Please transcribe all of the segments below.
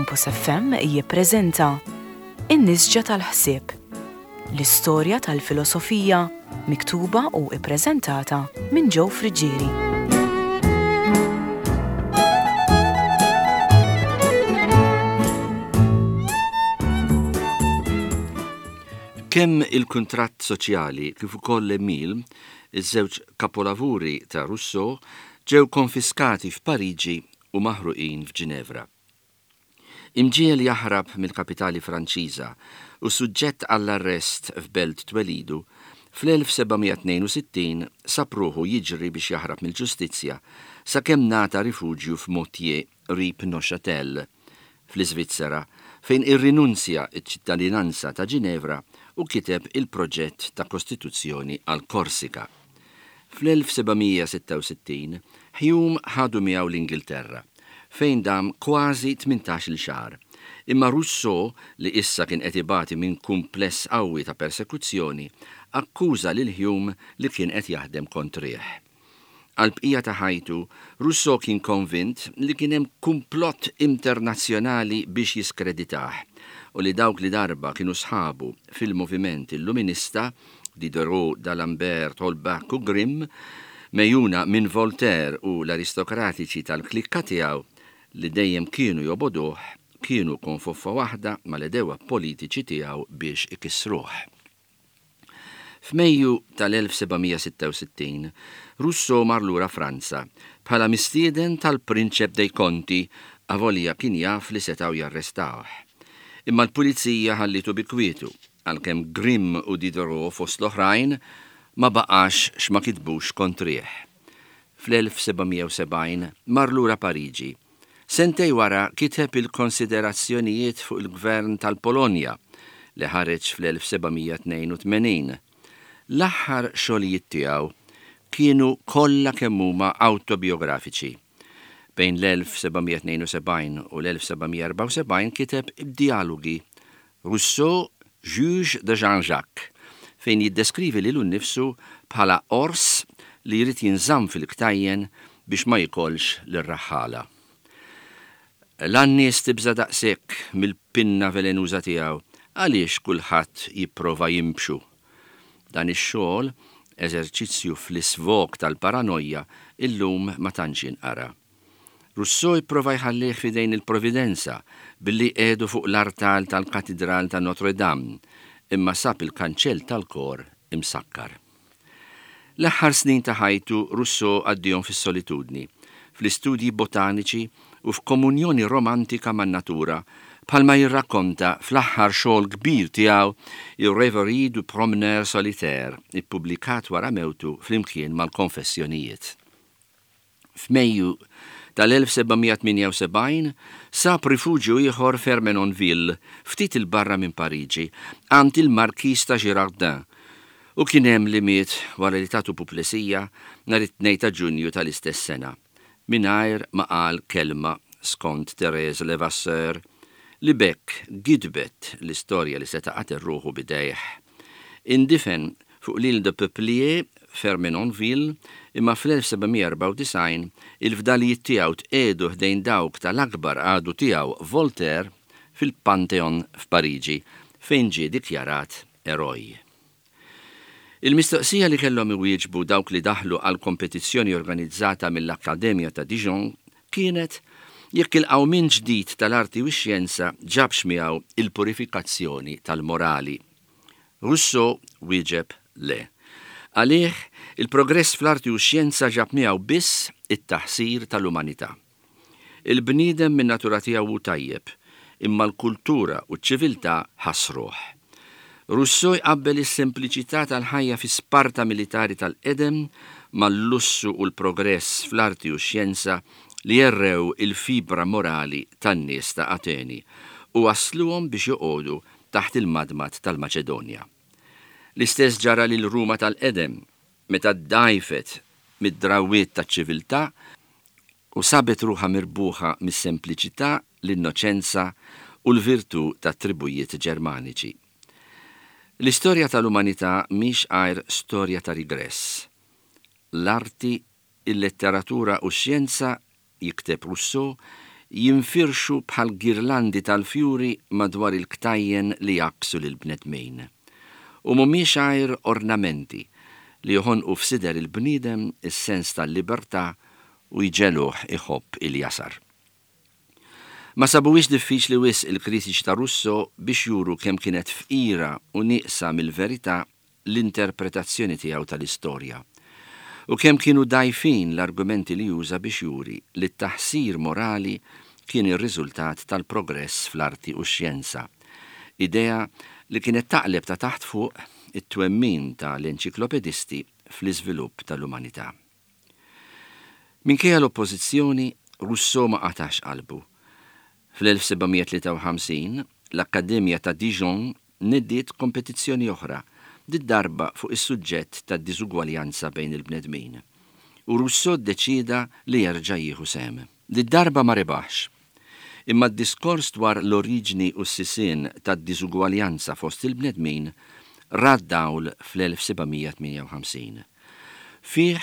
Campus FM jippreżenta In-Nisġa tal-Ħsieb, l-istorja tal-filosofija miktuba u ippreżentata minn Joe Friggieri. Kemm Il-Kuntratt Soċjali kif ukoll Emile, iż-żewġ kapolavuri ta' Rousseau, ġew konfiskati f'Pariġi u maħruqin f'Ġinevra. Imġiegħel jaħrab mill-kapitali Franċiża u suġġett għall-arrest f'belt twelidu, fl-1762 sab ruħu jiġri biex jaħrab mill-ġustizzja sakemm ngħata rifuġju f'Moutier qrib Neuchâtel, fl-Iżvizzera, fejn irrinunzja ċ-ċittadinanza ta' Ġinevra u kiteb il-proġett ta' kostituzzjoni għal Korsika. Fl-1766, Hume ħadu miegħu l-Ingilterra, fejn dam kważi tmintax-il xahar. Imma Rousseau, li issa kien qed ibati minn kumpless qawwi ta' persekuzzjoni, akkuża lil Hume li kien qed jaħdem kontrih. Għall-bqija ta' ħajtu, Rousseau kien konvint li kien hemm kumplott internazzjonali biex jiskreditah u li dawk li darba kienu sħabu fil-moviment Illuminista, Diderot, d'Alembert, Holbach u Grimm, megħjuna minn Voltaire u l-aristokratiċi tal-klikka tiegħu li dejjem kienu jobogħduh, kienu konfoffa waħda mal-għedewwa politiċi tiegħu biex ikissruh. F'Mejju tal-1766, Rousseau mar lura Franza bħala mistieden tal-Prinċep dei Conti avolja kien jaf li setgħu jarrestawh. Imma l-pulizija ħallietu bi kwietu, għalkemm Grimm u Diderot fost l-oħrajn ma baqax x'ma kitbux kontrih. Fl-1770 mar lura Pariġi Sentej wara kiteb il-Konsiderazzjonijiet fuq il-Gvern tal-Polonja, li ħareġ fl-1782. L-aħħar xogħlijiet tiegħu kienu kollha kemm huma awtobijografiċi. Bejn l-1772 u l-1774 kiteb id-djalogi Rousseau, juge de Jean-Jacques, fejn jiddeskrivi lilu nnifsu bħala ors li jrid jinżamm fil-ktajjen biex ma jikolx lir-raħħala. La n-nies tibża' daqshekk mill-pinna velenuża tiegħu, għaliex kulħadd jipprova jinbxu? Dan ix-xogħol, eżerċizzju fl-isvog tal-paranojja, illum ma tantx jinqara. Rousseau ipprova jħallih f'idejn il-Providenza billi jqiegħdu fuq l-artal tal-Katidral ta' Notre Dame, imma sab il-kanċell tal-kor imsakkar. L-aħħar snin ta' ħajtu Rousseau għaddiehom fis-solitudni, fl-istudji botaniċi u f'komunjoni romantika man-natura, bħalma jirrakkonta fl-aħħar xogħol kbir tiegħu Il-Rêverie du promeneur solitaire, ippubblikat wara mewtu flimkien mal-Konfessjonijiet. F'Mejju tal-1778 sab rifuġju ieħor f'Ermenonville, ftit 'il barra minn Pariġi, għand il-Markiż ta' Girardin, u kien hemm li miet wara li tatu puplesija nhar it-Tnejn ta' Ġunju tal-istess sena, mingħajr ma qal kelma, skont Thérèse Levasseur, li b'hekk gidbet l-istorja li seta' qatel ruħu b'idejh. Indifen fuq l'Île de Peuplier f'Ermenonville, imma fl-1794 il-fdalijiet tiegħu tqiegħdu ħdejn dawk tal-akbar għadu tiegħu Voltaire fil-Pantheon f'Pariġi, fejn ġie dikjarat eroj. Il-mistoqsija li kellhom iwieġbu dawk li daħlu għall-kompetizzjoni organizzata mill-Akkademja ta' Dijon kienet jekk il-qawmien ġdid tal-arti u x-xjenza ġabx miegħu il-purifikazzjoni tal-morali. Rousseau wieġeb le. Għalih, il-progress fl-arti u x-xjenza ġab miegħu biss it-taħsir tal-umanità. Il-bniedem min-natura tiegħu hu tajjeb, imma l-kultura u ċ-ċiviltà ħassruh. Rousseau jqabbel is-sempliċità tal-ħajja fi Sparta militari tal-qedem mal-lussu u l-progress fl-arti u x-xjenza li għerrew il-fibra morali tan-nies ta' Ateni u wassluhom biex joqogħdu taħt il-madmad tal-Maċedonja. L-istess ġara lil Ruma tal-qedem meta ddgħajfet mid-drawwiet taċ-ċiviltà u sabet ruħha mirbuħa mis-sempliċità, l-innoċenza u l-virtù tat-tribujiet Ġermaniċi. L-istorja tal-umanità mhix għajr storja ta' rigress. L-arti, il-letteratura u x-xjenza, jikteb Rousseau, jinfirxu bħal girlandi tal-fjuri madwar il-ktajjen li jgħakksu lill-bnedmin. U mhumiex għajr ornamenti li joħonqu f'sider il-bniedem is-sens tal-libertà u jġegħluh iħobb il-jasar. Ma sabuhiex diffiċli wisq il-kritiċi ta' Rousseau biex juru kemm kienet fqira u nieqsa mill-verità l-interpretazzjoni tiegħu tal-istorja, u kemm kienu dgħajfin l-argumenti li uża biex juri li t-taħsir morali kien ir-riżultat tal-progress fl-arti u x-xjenza, idea li kienet taqleb ta' taħt fuq it-twemmin ta' l-enċiklopedisti fl-iżvilupp tal-umanità. Minkejja l-oppożizzjoni, Rousseau ma qatax qalbu. Fl-1753, l-Akkademja ta' Dijon nediet kompetizzjoni oħra, did-darba fuq is-suġġett tad-diżugwaljanza bejn il-bnedmin, u Rousseau ddeċieda li jerġa' jieħu sehem. Did-darba ma rebaħx. Imma d-diskors dwar l-oriġni u s-sisien tad-diżugwaljanza fost il-bnedmin ra d-dawl fl-1758. Fih,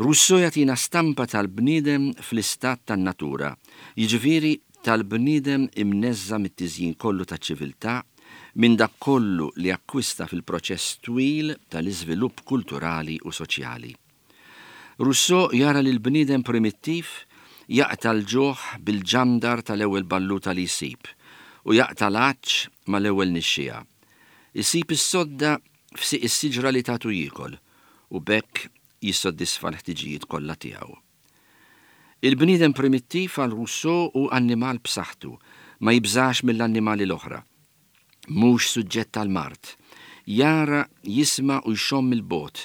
Rousseau jagħtina stampa tal-bniedem fl-istat tan-natura, jiġifieri tal-bniedem imneżża' mit-tiżjin kollu taċ-ċiviltà, minn dak kollu li akkwista fil-proċess twil tal-iżvilupp kulturali u soċjali. Rousseau jara lill-bniedem primittiv jaqta' l-ġuħ bil-ġandar tal-ewwel balluta li jsib u jaqta' l-għatx mal-ewwel nixxiegħa. Isib is-sodda f'sieq is-siġra li tagħtu jiekol u b'hekk jissodisfa l-ħtiġijiet kollha tiegħu. Il-bniedem primittiv għal Rousseau hu annimal b'saħħtu, ma jibżax mill-annimali l-oħra. Mhux suġġett għall-mard. Jara, jisma' u jxomm mill-bogħod.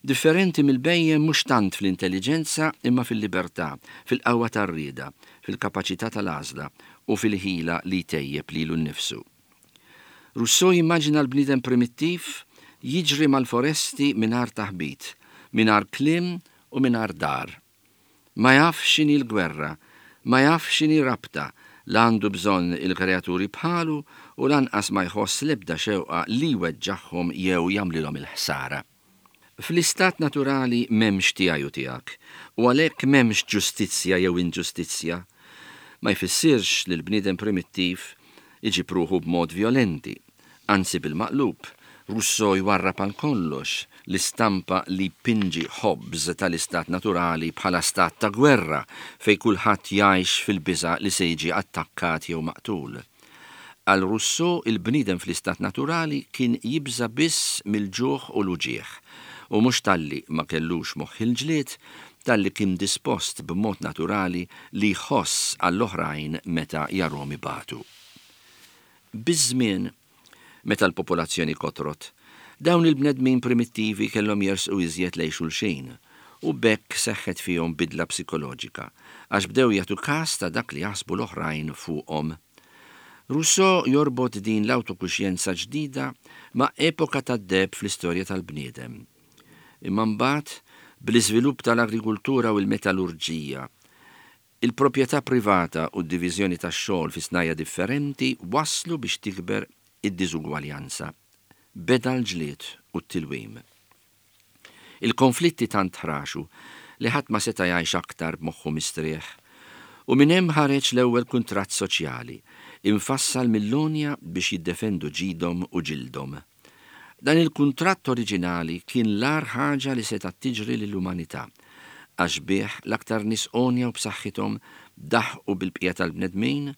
Differenti mill-bhejjem mhux tant fl-intelliġenza imma fil-libertà, fil-qawwa tar-rieda, fil-kapaċità tal-għażla u fil-ħila li jtejjeb lilu nnifsu. Rousseau jimmaġina l-bniedem primittiv jiġri mal-foresti mingħajr taħbit, mingħajr kliem u mingħajr dar. Ma jafx x'inhi l-gwerra, ma jafx x'inhi rabta, la għandu bżonn il-kreaturi bħalu u lanqas ma jħoss l-ebda xewqa li jweġġagħhom jew jagħmlilhom il-ħsara. Fl-istat naturali m'hemmx tiegħi u tiegħek, u għalhekk m'hemmx ġustizzja jew inġustizzja. Ma jfissirx li l-bniedem primittiv iġib ruħu b'mod vjolenti. Anzi bil-maqlub, Rousseau jwarrab għal kollox l-istampa li jpinġi Hobbes tal-istat naturali bħala stat ta' gwerra fejn kulħadd jgħix fil-biża' li se jiġi attakkat jew maqtul. Għal Rousseau il-bniedem fl-istat naturali kien jibża' biss mill-ġuħ u l-uġigħ, u mhux talli ma kellux moħħ il-ġlied, talli kien dispost b'mod naturali li jħoss għall-oħrajn meta jarhom ibatu. Biż-żmien, meta l-popolazzjoni kotrot, dawn il-bnedmin primittivi kellhom jersqu iżjed lejn xulxin, u b'hekk seħħet fihom bidla psikoloġika, għax bdew jagħtu kas ta' dak li jaħsbu l-oħrajn fuqhom. Rousseau jorbot din l-awtokuxjenza ġdida ma' epoka tad-deheb fl-istorja tal-bniedem. Imma mbagħad, bl-iżvilupp tal-agrikultura u l-metallurġija, Il-proprjetà privata u d-diviżjoni tax-xogħol fi snajja' differenti wasslu biex tikber id-diżugwaljanza. Beda l-ġlied u t-tilwim. Il-konflitti tant ħraxu li ħadd ma seta' jgħix aktar b'moħħu mistrieħ. U minn hemm ħareġ l-ewwel kuntratt soċjali, imfassal mill-għonja biex jiddefendu ġidhom u ġildhom. Dan il-kuntratt oriġinali kien l-agħar ħaġa li setgħet tiġri lill-umanità, għax bih l-aktar nies għonja u b'saħħithom daħqu bil-bqija tal-bnedmin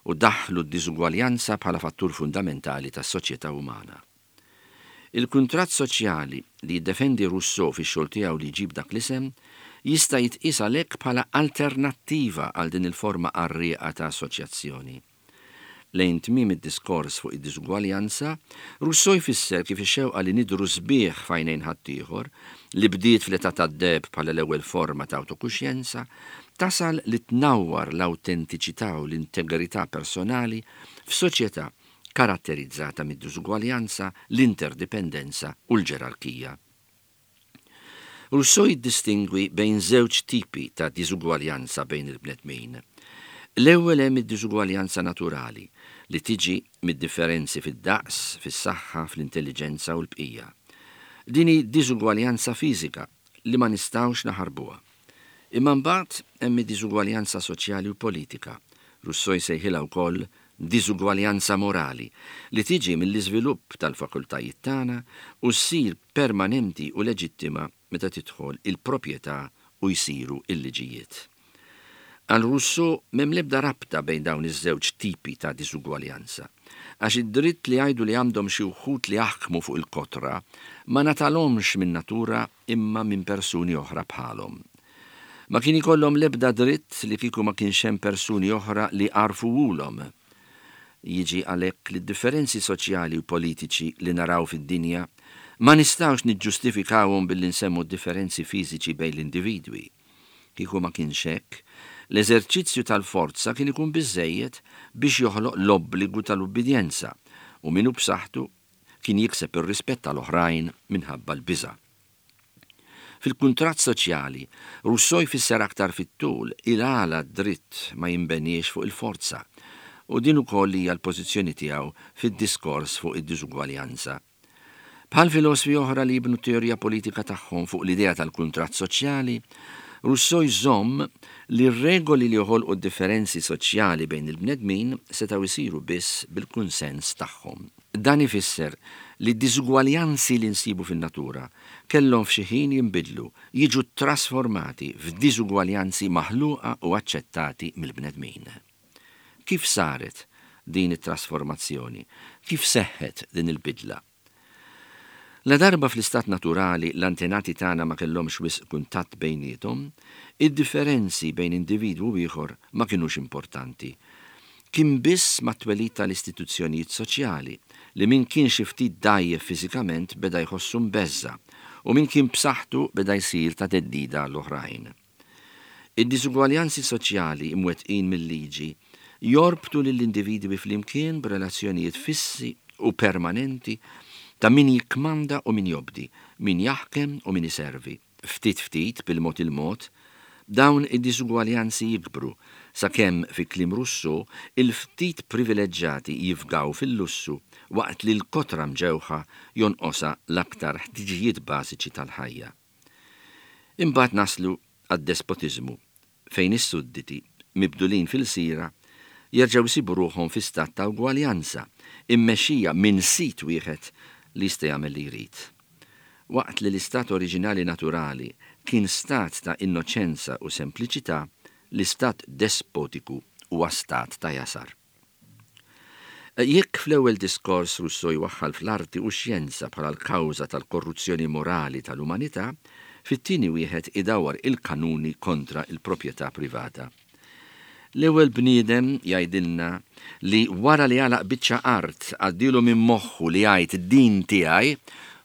u daħħlu d-diżugwaljanza bħala fattur fundamentali tas-soċjetà umana. Il-kuntratt soċjali li jiddefendi Rousseau fix-xogħol tiegħu li jġib dak l-isem jista' jitqies għalhekk bħala alternattiva għal din il-forma qarrieqa ta' assoċjazzjoni. Lejn tmiem id-diskors fuq id-diżugwaljanza, Rousseau jfisser kif ix-xewqa li nidhru sbieħ f'għajnejn ħaddieħor, li bdiet fl-età tad-deheb bħala l-ewwel forma ta' awtokuxjenza, tasal li tnawwar l-awtentiċità u l-integrità personali f'soċjetà karatterizzata mid-diżugwaljanza, l-interdipendenza u l-ġerarkija. Rousseau jiddistingwi bejn żewġ tipi ta' diżugwaljanza bejn il-bnedmin. L-ewwel hemm id-diżugwaljanza naturali, li tiġi mid-differenzi fid-daqs, fis-saħħa, fl-intelliġenza u l-bqija. Din hi diżugwaljanza fiżika li ma nistgħux naħarbuha. Imma mbagħad hemm id-diżugwaljanza soċjali u politika, Rousseau jsejħilha wkoll diżugwaljanza morali, li tiġi mill-iżvilupp tal-fakultajiet tagħna u ssir permanenti u leġittima meta tidħol il-proprjetà u jsiru l-liġijiet. Għal Rousseau m'hemm l-ebda rabta bejn dawn iż-żewġ tipi ta' diżugwaljanza, għax id-dritt li jgħidu li għandhom xi wħud li jaħkmu fuq il-kotra ma ngħatalhomx min-natura imma minn persuni oħra bħalhom. Ma kien ikollhom l-ebda dritt li kieku ma kienx hemm persuni oħra li għarfuhulhom. Jiġi għalhekk li d-differenzi soċjali u politiċi li naraw fid-dinja ma nistgħux niġġustifikawhom billi nsemmu d-differenzi fiżiċi bejn l-individwi. Kieku ma kienx hekk, l-eżerċizzju tal-forza kien ikun biżżejjed biex joħloq l-obbligu tal-ubbidjenza u min hu b'saħħtu kien jikseb ir-rispett tal-oħrajn minħabba l-biża'. Fil-kuntratt soċjali, Rousseau jfisser aktar fit-tul il-għala d-dritt ma jinbeniex fuq il-forza, u din ukoll hija l-pożizzjoni tiegħu fid-diskors fuq id-diżugwaljanza. Bħal filosfi oħra li jibnu t-teorija politika tagħhom fuq l-idea tal-kuntratt soċjali, Rousseau jżomm li r-regoli li joħolqu d-differenzi soċjali bejn il-bnedmin setgħu jsiru biss bil-kunsens tagħhom. Dan ifisser li d-diżugwaljanzi li nsibu fin-natura kellhom f'xi ħin jinbidlu, jiġu ttrasformati f'diżugwaljanzi maħluqa u aċċettati mill-bnedmin. Kif saret din it-trasformazzjoni? Kif seħħet din il-bidla? Ladarba fl-istat naturali l-antenati tagħna ma kellhomx wisq kuntatt bejniethom, id-differenzi bejn individwu u ieħor ma kinux importanti. Kien biss mat-twelid tal-istituzzjonijiet soċjali li min kien xi ftit dgħajjef fiżikament beda jħossu mbeżża' u min kien b'saħħtu beda jsir ta' theddida għall-oħrajn. Id-diżugwaljanzi soċjali mwettqin mil-liġi jorbtu lill-individwi flimkien b'relazzjonijiet fissi u permanenti ta' min jikkmanda u min jobdi, min jaħkem u min iservi. Ftit ftit, bil-mod il-mod, dawn id-diżugwaljanzi jikbru, sakemm, fi kliem Rousseau, il-ftit privileġġati jifgaw fil-lussu waqt li l-kotra mġewħa jonqosha l-aktar ħtiġijiet bażiċi tal-ħajja. Imbagħad naslu għad-despotiżmu, fejn is-sudditi, mibdulin f'ilsira, jerġgħu jsibu ruħhom fi stat ta' ugwaljanza, immexxija minn sid wieħed li jista' jagħmel li jrid. Waqt li l-istat oriġinali naturali kien stat ta' innoċenza u sempliċità, l-istat despotiku huwa stat ta' jasar. Jekk fl-ewwel diskors Rousseau jwaħħal fl-arti u x-xjenza bħala l-kawża tal-korruzzjoni morali tal-umanità, fit-tieni wieħed idawwar il-kanuni kontra l-proprjetà privata. L-ewwel bniedem jgħidilna li wara li għalaq biċċa art għaddielu minn moħħu li jgħid din tiegħi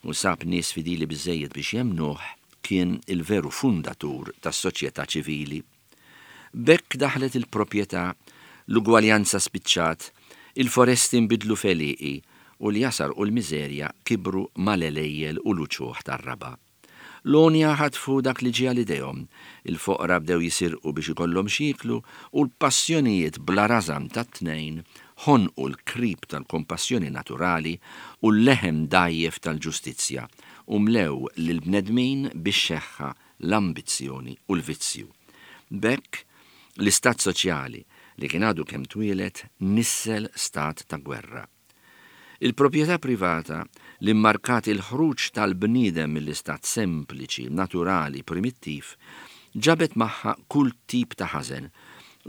u sab nies fidili biżżejjed biex jemmnuh, kien il-veru fundatur tas-soċjetà ċivili. B'hekk daħlet il-proprjetà, l-ugwaljanza spiċċat, il-foresti nbidlu f'għelieqi u l-jasar u l-miżerja kibru mal-għelejjel u l-uċuħ tar-raba'. L-għonja ħatfu dak li ġie għal idejhom, il-foqra bdew jisirqu biex ikollhom x'jieklu u l-passjonijiet bla rażan tat-tnejn ħonqu l-krib tal-kompassjoni naturali u l-leħen dgħajjef tal-ġustizzja u mlew lill-bnedmin bix-xeħħa l-ambizzjoni u l-vizzju. B'hekk, l-istat soċjali li kien għadu kemm twieled nissel stat ta' gwerra. Il-proprjetà privata li mmarkat il-ħruġ tal-bniedem mill-istat sempliċi, naturali, primittiv, ġabet magħha kull tip ta' ħażen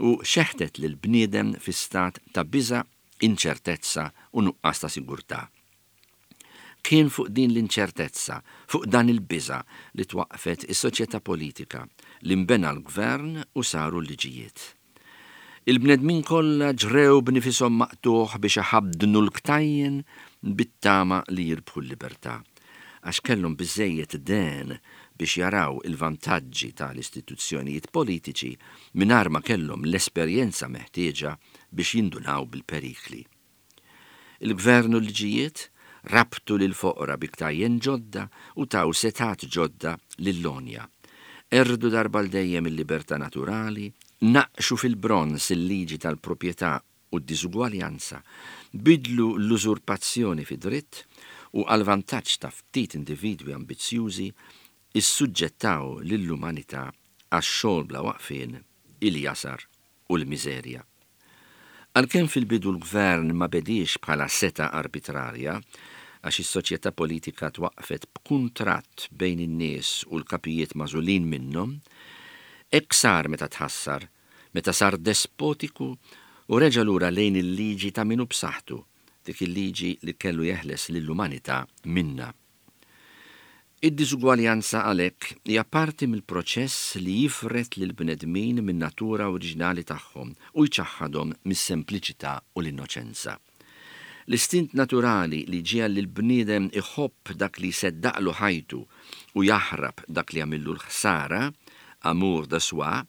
u xeħtet lill-bniedem fi stat ta' biża', inċertezza u nuqqas ta' sigurtà. Kien fuq din l-inċertezza, fuq dan il-biża' li twaqqfet is-soċjetà politika, li nbena l-gvern u saru l-liġijiet. Il-bnedmin kollha ġrew b'nifishom maqtugħ biex iħaddnu l-ktajjen bit-tama li jirbħu l-libertà, għax kellhom biżżejjed dehen biex jaraw il-vantaġġi ta' l-istituzzjonijiet politiċi mingħajr ma kellhom l-esperjenza meħtieġa biex jindunaw bil-perikli. Il-gvern u l-liġijiet rabtu lill-foqra bi ktajjen ġodda u taw setgħat ġodda lill-għonja. Qerdu darba għal dejjem il-libertà naturali, naqqxu fil-bronż il-liġi tal-proprjetà u d-diżugwaljanza, bidlu l-użurpazzjoni fi dritt u għall-vantaġġ ta' ftit individwi ambizzjużi issuġġettaw lill-umanità għax-xogħol bla waqfien, il-jasar u l-miżerja. Għalkemm fil-bidu l-gvern ma bediex bħala setgħa arbitrarja, għax is-soċjetà politika twaqqfet b'kuntratt bejn in-nies u l-kapijiet magħżulin minnhom, hekk sar meta tħassar, meta sar despotiku u reġa' lura lejn il-liġi ta' min hu b'saħħtu, dik il-liġi li kellu jeħles lill-umanità minnha. Id-diżugwaljanza għalhekk hija parti mill-proċess li jifred lill-bnedmin min-natura oriġinali tagħhom u jċaħħadhom mis-sempliċità u l-innoċenza. L-istint naturali li jġiegħel lill-bniedem iħobb dak li jseddaqlu ħajtu u jaħrab dak li jagħmillu l-ħsara, amour de soi,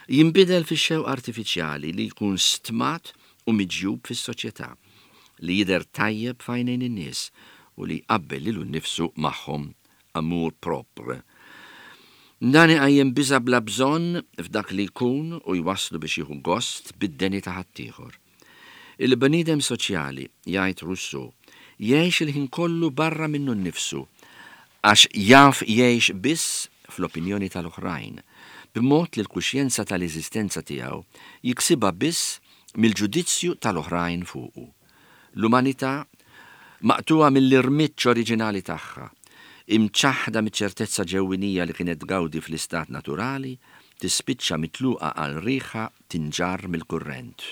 jinbidel fix-xewqa artifiċjali li jkun stmat u miġjub fis-soċjetà, li jidher tajjeb f'għajnejn in-nies u li jqabbel lilu nnifsu magħhom, amour propre. Dan iqajjem biża' bla bżonn f'dak li jkun u jwasslu biex jieħu gost bid-deni ta' ħaddieħor. Il-bniedem soċjali, jgħid Rousseau, jgħix il-ħin kollu barra minnu nnifsu għax jaf jgħix biss fl-opinjoni tal-oħrajn, b'mod li l-kuxjenza tal-eżistenza tiegħu jiksibha biss mill-ġudizzju tal-oħrajn fuqu. L-umanità, maqtugħa mill-irmiġġ oriġinali tagħha, imċaħħda miċ-ċertezza ġewwinija li kienet tgawdi fl-istat naturali, tispiċċa mitluqa għal riħha tinġarr mill-kurrent.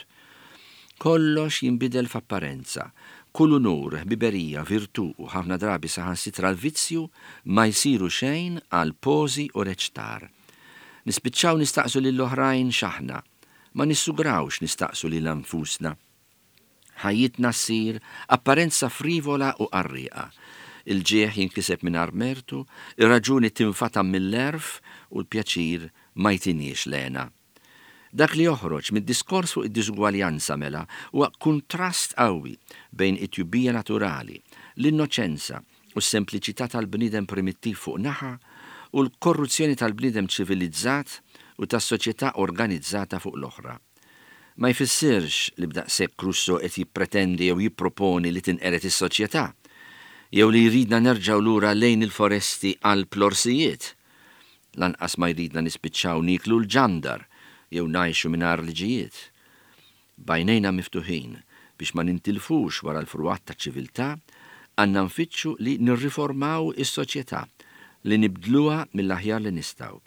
Kollox jinbidel f'apparenza. Kull unur, ħbiberija, virtù u ħafna drabi saħansitra l-vizzju ma jsiru xejn għal pożi u reċtar. Nispiċċaw nistaqsu lill-oħrajn x'aħna. Ma nissugrawx nistaqsu lilna nfusna. Ħajjitna ssir apparenza frivola u qarrieqa. Il-ġieħ jinkiseb mingħajr mertu, ir-raġuni tinfatam mill-għerf u l-pjaċir ma jtiniex l-hena. Dak li joħroġ mid-diskors fuq id-diżugwaljanza mela huwa kuntrast qawwi bejn it-tjubija naturali, l-innoċenza u s-sempliċità tal-bniedem primittiv fuq naħa u l-korruzzjoni tal-bniedem ċivilizzat u tas-soċjetà organizzata fuq l-oħra. Ma jfissirx li b'daqshekk Rousseau qed jippretendi jew jipproponi li tinqered is-soċjetà, jew li jridna nerġgħu lura lejn il foresti qalb l-orsijiet. Lanqas ma jridna nispiċċaw nieklu l-ġandar jew ngħixu mingħajr liġijiet. B'għajnejna miftuħin biex ma nintilfux wara l-frugħat taċ-ċiviltà, għandna nfittxu li nirriformaw is-soċjetà, li nibdluha mill-aħjar li nistgħu.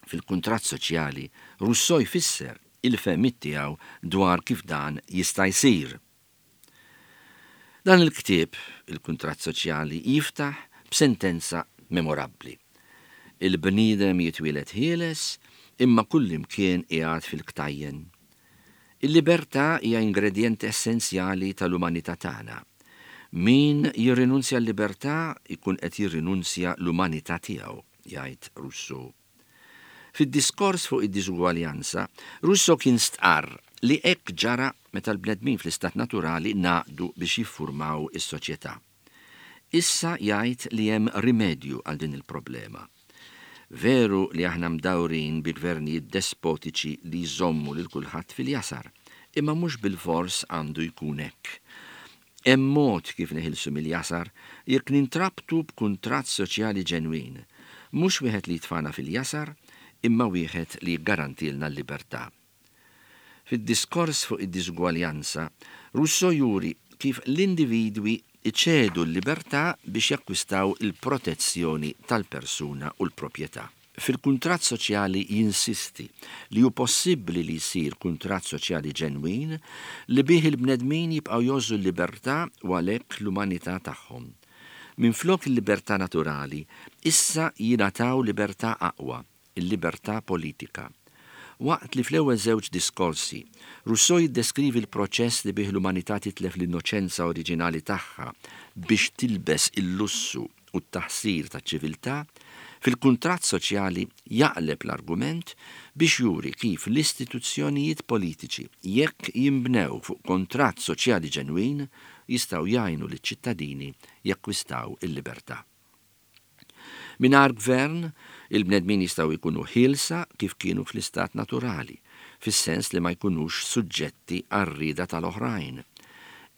Fil-Kuntratt Soċjali, Rousseau jfisser il-fehmiet tiegħu dwar kif dan jista' jsir. Dan il-ktieb, Il-Kuntratt Soċjali, jiftaħ b'sentenza memorabbli. Il-bniedem jitwieled ħieles, imma kullimkien qiegħed fil-ktajjen. Il-libertà hija ingredjent essenzjali tal-umanità tagħna. Min jirrinunzja l-libertà jkun qed jirrinunzja l-umanità tiegħu, jgħid Rousseau. Fid-diskors fuq id-diżugwaljanza, Rousseau kien stqarr li hekk ġara meta l-bnedmin fl-istat naturali ngħaqdu biex jiffurmaw is-soċjetà. Issa jgħid li hemm rimedju għal din il-problema. Veru li aħna mdawrin bi gvernijiet despotiċi li jżommu lil kulħadd fil-jasar, imma mhux bilfors għandu jkun hekk. Hemm mod kif neħilsu mill-jasar jekk nintrabtu b'kuntratt soċjali ġenwin, mhux wieħed li jitfagħna fil-jasar imma wieħed li jiggarantilna l-libertà. Fid-diskors fuq id-diżugwaljanza, Rousseau juri kif l-individwi jċedu l-libertà biex jakkwistaw il-protezzjoni tal-persuna u l-proprjetà. Fil-kuntratt soċjali jinsisti li hu possibbli li jsir kuntratt soċjali ġenwin li bih il-bnedmin jibqgħu jgħożżu l-libertà u għalhekk l-umanità tagħhom. Minflok il-libertà naturali, issa jingħataw libertà aqwa, il-libertà politika. Waqt li fl-ewwel żewġ diskorsi, Rousseau jiddeskrivi l-proċess li bih l-umanità titlef l-innoċenza oriġinali tagħha biex tilbes il-lussu u t-taħsir taċ-ċiviltà, fil-kuntratt soċjali jaqleb l-argument biex juri kif l-istituzzjonijiet politiċi, jekk jinbnew fuq kontratt soċjali ġenwin, jistgħu jgħinu liċ-ċittadini jakkwistaw il-libertà. Mingħajr gvern, il-bnedmin jistgħu jkunu ħielsa kif kienu fl-istat naturali, fis-sens li ma jkunux suġġetti għar-rieda tal-oħrajn.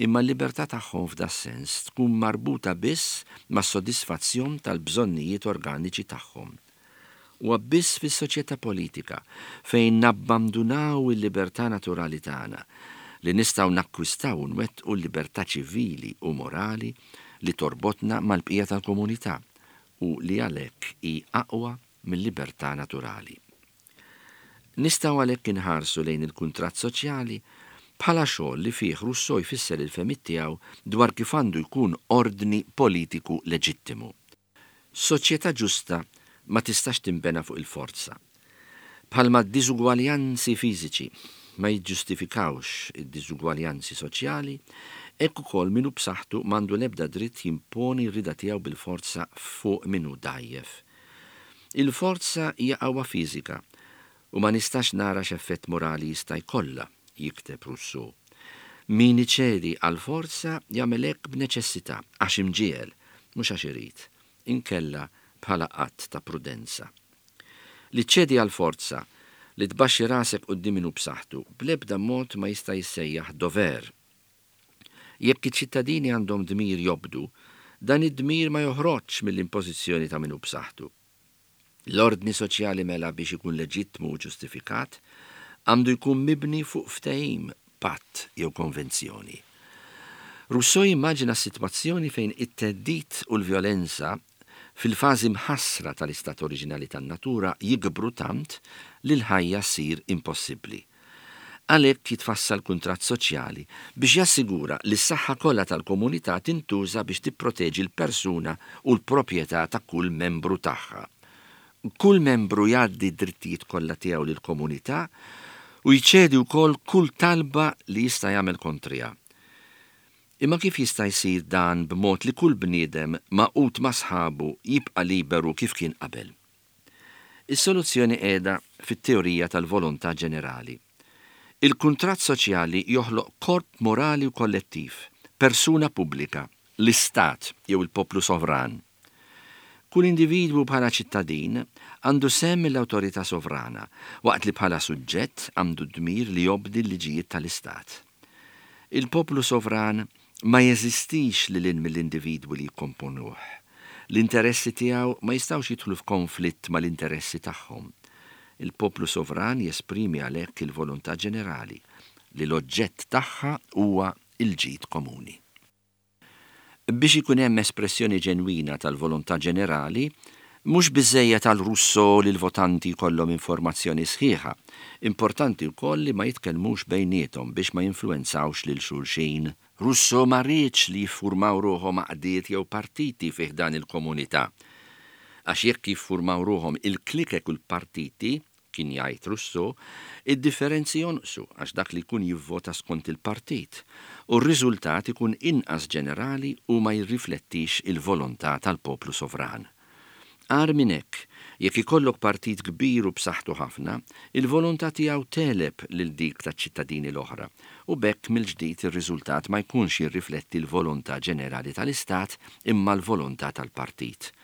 Imma l-libertà tagħhom f'das-sens tkun marbuta biss mas-sodisfazzjon tal-bżonnijiet organiċi tagħhom. Huwa biss fis-soċjetà politika, fejn nabbamdunaw il-libertà naturali tagħna, li nistgħu nakkwistaw u nwettqu l-libertà ċivili u morali li torbotna mal-bqija tal-komunità u li għalhekk hi aqwa mil-libertà naturali. Nistgħu għalhekk inħarsu lejn il-kuntratt soċjali bħala xogħol li fih Rousseau jfisser il-fehmiet tiegħu dwar kif għandu jkun ordni politiku leġittimu. Soċjetà ġusta ma tistax tinbena fuq il-forza. Bħalma d-diżugwaljanzi fiżiċi ma jiġġustifikawx id-diżugwaljanzi soċjali, hekk ukoll min hu b'saħħtu m'għandu l-ebda dritt jimponi r-rieda tiegħu bil-forza fuq min hu dgħajjef. Il-forza hija qawwa fiżika U ma nistax nara x'effett morali jista' jkollha, jikteb Rousseau. Min iċedi għall-forza jagħmel hekk b'neċessità, għax imġiegħel, mhux għax irid, inkella bħala att ta' prudenza. Li ċċedi għall-forza, li tbaxxi rasek quddiem min hu b'saħħtu, bl-ebda mod ma jista' jissejjaħ dover. Jekk iċ-ċittadini għandhom dmir jobdu, dan id-dmir ma joħroġx mill-impożizzjoni ta' min hu b'saħħtu. L-ordni soċjali mela biex ikun leġittmu u ġustifikat, għandu jkun mibni fuq ftehim, patt jew konvenzjoni. Rousseau jimmaġina sitwazzjoni fejn it-theddid u l-vjolenza fil-fażi mħassra tal-istat oriġinali tan-natura jikbru tant li l-ħajja ssir impossibbli. Għalhekk jitfassal kuntratt soċjali biex jassigura li s-saħħa kollha tal-komunità tintuża biex tipproteġi l-persuna u l-proprjetà ta' kull membru tagħha. Kull membru jgħaddi d-drittijiet kollha tiegħu lill-komunità u jċedi wkoll kull talba li jista' jagħmel kontriha. Imma kif jista' jsir dan b'mod li kull bniedem magħqud ma' sħabu jibqa' liberu kif kien qabel? Is-soluzzjoni qiegħda fit-teorija tal-volontà ġenerali. Il-kuntratt soċjali joħloq korp morali u kollettiv, persuna pubblika, l-Istat jew il-poplu sovran. Kull individwu bħala ċittadin għandu sehem mill-awtorità sovrana, waqt li bħala suġġett għandu d-dmir li jobdi l-liġijiet tal-Istat. Il-poplu sovran ma jeżistix lil hinn mill-individwi li jikkomponuh. L-interessi tiegħu ma jistgħux jidħlu f'konflitt mal-interessi tagħhom. Il-poplu sovran jesprimi għalhekk il-volontà ġenerali, li l-oġġett tagħha huwa l-ġid komuni. Biex ikun hemm espressjoni ġenwina tal-volontà ġenerali, mhux biżżejjed għal Rousseau li l-votanti jkollhom informazzjoni sħiħa, importanti wkoll li ma jitkellmux bejniethom biex ma jinfluwenzawx lil xulxin. Rousseau ma riedx li jiffurmaw ruħhom għaqdiet jew partiti fi ħdan il-komunità. Għax jekk jiffurmaw ruħhom il-klikek u l-partiti, Kien jgħid Rousseau, id-differenzi jonqsu għax dak li jkun jivvota skont il-partit, u r-riżultat ikun inqas ġenerali u ma jirriflettix il-volontà tal-poplu sovran. Agħar minn hekk, jekk ikollok partit kbir u b'saħħtu ħafna, il-volontà tiegħu tegħleb lil dik taċ-ċittadini l-oħra, u b'hekk mill-ġdid ir-riżultat ma jkunx jirrifletti l-volontà ġenerali tal-Istat imma l-volontà tal-partit.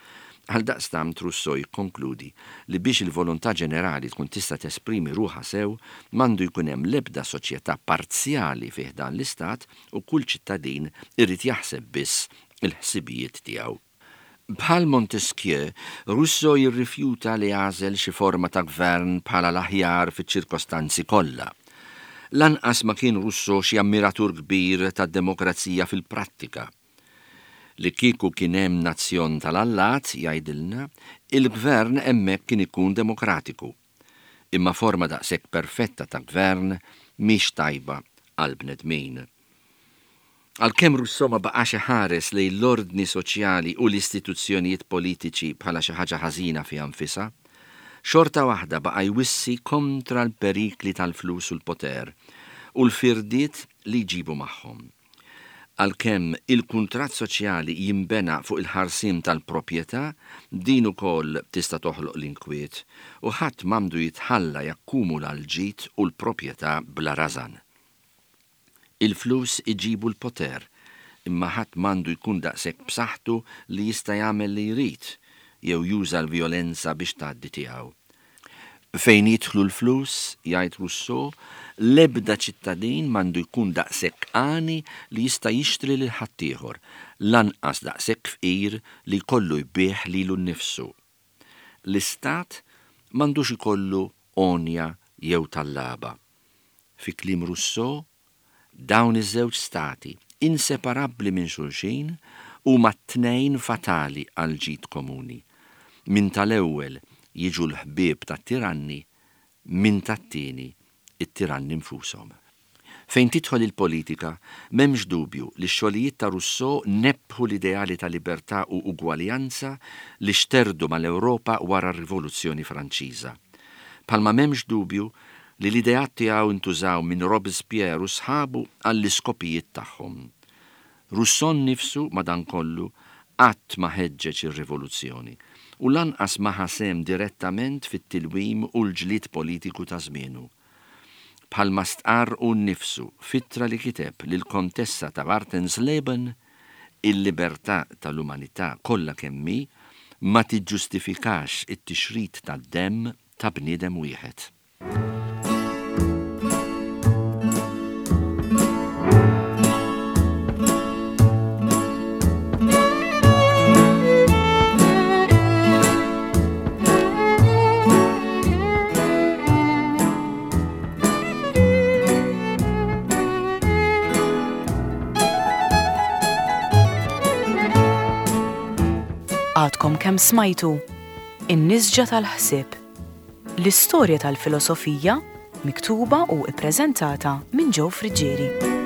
Għaldaqstant Rousseau jikkonkludi li biex il-volontà ġenerali tkun tista' tesprimi ruħha sew, m'għandu jkun hemm l-ebda soċjetà parzjali fi ħdan l-Istat u kull ċittadin irid jaħseb biss il-ħsibijiet tiegħu. Bħal Montesquieu, Rousseau jirrifjuta li jagħżel xi forma ta' gvern bħala l-aħjar fiċ-ċirkostanzi kollha. Lanqas ma kien Rousseau xi ammiratur kbir tad-demokrazija fil-prattika. Li kieku kien hemm nazzjon tal-allat, jgħidilna, il-gvern hemmhekk kien ikun demokratiku. Imma forma daqshekk perfetta ta' gvern mhix tajba għall-bnedmin. Għalkemm Rousseau ma baqax iħares lejn l-ordni soċjali u l-istituzzjonijiet politiċi bħala xi ħaġa ħażina fiha nfisha, xorta waħda baqa' jwissi kontra l-perikli tal-flus u l-poter u l-firdiet li jġibu magħhom. Għalkemm il-kuntratt soċjali jinbena fuq il-ħarsien tal-proprjetà, din ukoll tista' toħloq l-inkwiet, u ħadd m'għandu jitħalla jakkumula l-ġid u l-proprjetà bla rażan. Il-flus iġibu l-poter, Imma ħadd m'għandu jkun daqshekk b'saħħtu li jista' jagħmel li jrid jew juża l-vjolenza biex tgħaddi tiegħu. Fejn jidħlu l-flus, jgħid Rousseau, l-ebda ċittadin m'għandu jkun daqshekk għani li jista' jixtri lil ħaddieħor, lanqas daqshekk fqir li jkollu jbigħ lilu nnifsu. L-Istat m'għandux ikollu għonja jew tallaba. Fi kliem Rousseau, Dawn iż-żewġ stati, inseparabbli minn xulxin, huma t-tnejn fatali għall-ġid komuni. Minn tal-ewwel jiġu l-ħbieb tat-tiranni, minn tat-tieni it-tiranni nfushom. Fejn tidħol il-politika, m'hemmx dubju li x-xogħlijiet ta' Rousseau nebbħu l-ideali ta' libertà u ugwaljanza li xterdu mal-Ewropa wara r-Rivoluzzjoni Franċiża. Bħalma m'hemmx dubju li l-ideat tiegħu ntużaw minn Robespierre u sħabu għall-iskopijiet tagħhom. Rousseau nnifsu, madankollu, qatt ma ħeġġeġ ir-rivoluzzjoni, u lanqas ma ħa sehem direttament fit-tilwim u l-ġlied politiku ta' żmienu. Bħalma stqarr hu nnifsu f'ittra li kiteb lill-Kontessa ta' Wartensleben, Il-libertà tal-umanità kollha kemm hi ma tiġġustifikax it-tixrid tad-demm ta' bniedem wieħed. Għadkom kemm smajtu In-Nisġa tal-Ħsieb, l-istorja tal-filosofija miktuba u ppreżentata minn Joe Friggieri.